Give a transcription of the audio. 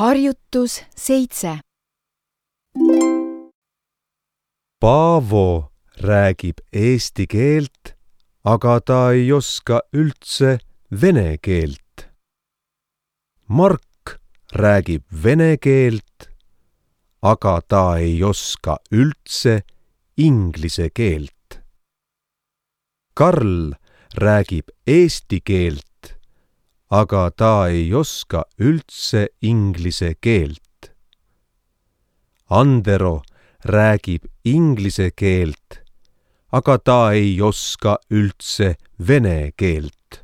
Harjutus 7. Paavo räägib eesti keelt, aga ta ei oska üldse vene keelt. Mark räägib vene keelt, aga ta ei oska üldse inglise keelt. Karl räägib eesti keelt, aga ta ei oska üldse inglise keelt. Andero räägib inglise keelt, aga ta ei oska üldse vene keelt.